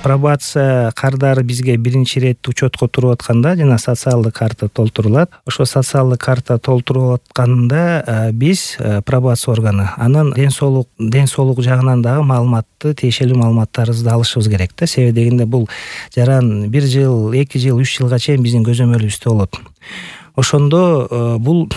пробация кардары бизге биринчи ирет учетко туруп атканда жана социалдык карта толтурулат. Ошо социалдык карта толтуруп атканда биз пробация органы анын ден соолук жагынан дагы маалыматты, тиешелүү маалыматтарыбызды алышыбыз керек да. Себеби дегенде бул жаран 1 жыл, 2 жыл, 3 жылга чейин биздин көзөмөлүбүздө болот. Ошондо бул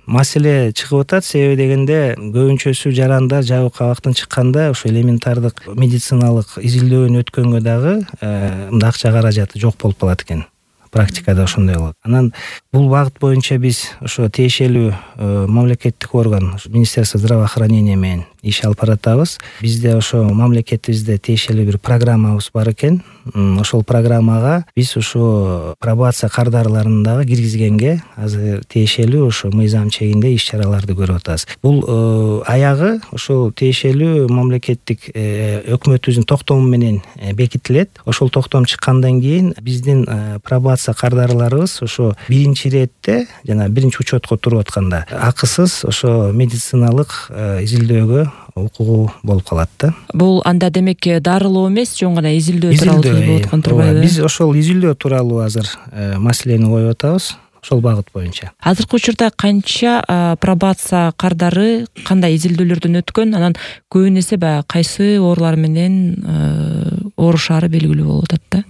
маселе чыгып атат. Себеби дегенде көбүнчөсү жарандар жабык кабактан чыкканда ошо элементардык медициналык изилдөөнү өткөнгө дагы мындай акча каражаты жок болуп калат экен. Практикада ошондой болот. Анан бул багыт боюнча биз ошо тиешелүү мамлекеттик орган, Министерство здравоохранения менен иш алып баратабыз. Бизде ошо мамлекетибизде тиешелүү бир программабыз бар экен. Ошол программага биз ошо пробация кардарларын дагы киргизгенге азыр тиешелүү ошо мыйзам чегинде иш-чараларды көрүп атабыз. Бул аягы ошол тиешелүү мамлекеттик өкмөтүбүздүн токтому менен бекитилет. Ошол токтом чыккандан кийин биздин пробация кардарларыбыз ошо биринчи иретте жана биринчи учетко туруп атканда акысыз ошо медициналык изилдөөгө укугу болуп калат да. Бул анда демек дарылоо эмес, жөн гана изилдөө тууралуу болуп аткан турбайбы? Биз ошол изилдөө тууралуу азыр маселени коюп атабыз. Ошол багыт боюнча. Азыркы учурда канча пробация кардары кандай изилдөөлөрдөн өткөн, анан көбүнесе баягы кайсы оорулар менен оорушаары белгилүү болуп атат да.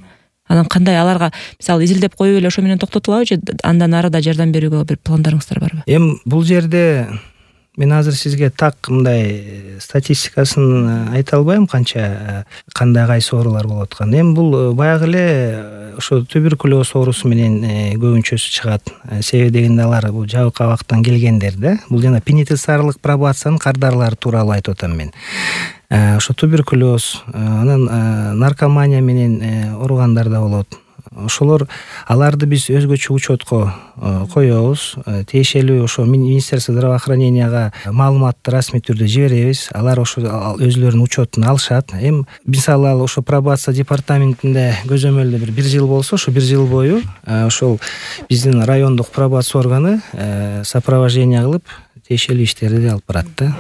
Анан кандай аларга мисалы изилдеп коюп эле ошо менен токтотулабы же андан ары да жардам берүүгө бир пландарыңыздар барбы? Эми бул жерде мен азыр сизге так мындай статистикасын айта албайм, кандай кайсы оорулар болуп аткан. Эми бул баягы эле ошо туберкулез оорусу менен көбүнчөсү чыгат. Себеби дегенде алар бул жабык кабактан келгендер да. Бул жана пенитенциарлык пробациянын кардарлары тууралуу айтып атам мен. Ошо туберкулез, анан наркомания менен ооругандар да болот. Ошолор аларды биз өзгөчө учетко коебуз. Тиешелүү ошо Министерство здравоохраненияга маалыматты расмий түрдө жиберебиз. Алар ошо өзлөрүнүн учетуна алышат. Эми мисалы ал ошо пробация департаментинде көзөмөлдө бир жыл болсо, ошо 1 жыл бою ошол биздин райондук пробация органы сопровождение кылып тиешелүү иштерди алып барат да.